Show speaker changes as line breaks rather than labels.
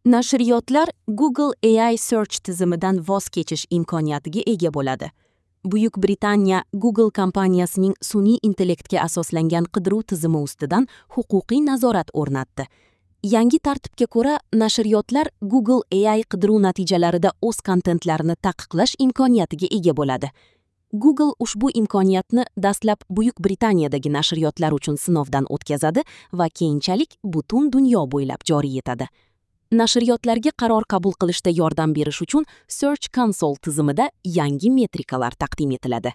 Nashriyotlar Google AI Search tizimidan voz kechish imkoniyatiga ega bo'ladi. Buyuk Britaniya Google kompaniyasining sun'iy intellektga asoslangan qidiruv tizimi ustidan huquqiy nazorat o'rnatdi. Yangi tartibga ko'ra, nashriyotlar Google AI qidiruv natijalarida o'z kontentlarini taqiqlash imkoniyatiga ega bo'ladi. Google ushbu imkoniyatni dastlab Buyuk Britaniyadagi nashriyotlar uchun sinovdan o'tkazadi va keyinchalik butun dunyo bo'ylab joriy etadi. Nashriyotlarga qaror qabul qilishda yordam berish uchun Search Console tizimida yangi metrikalar taqdim etiladi.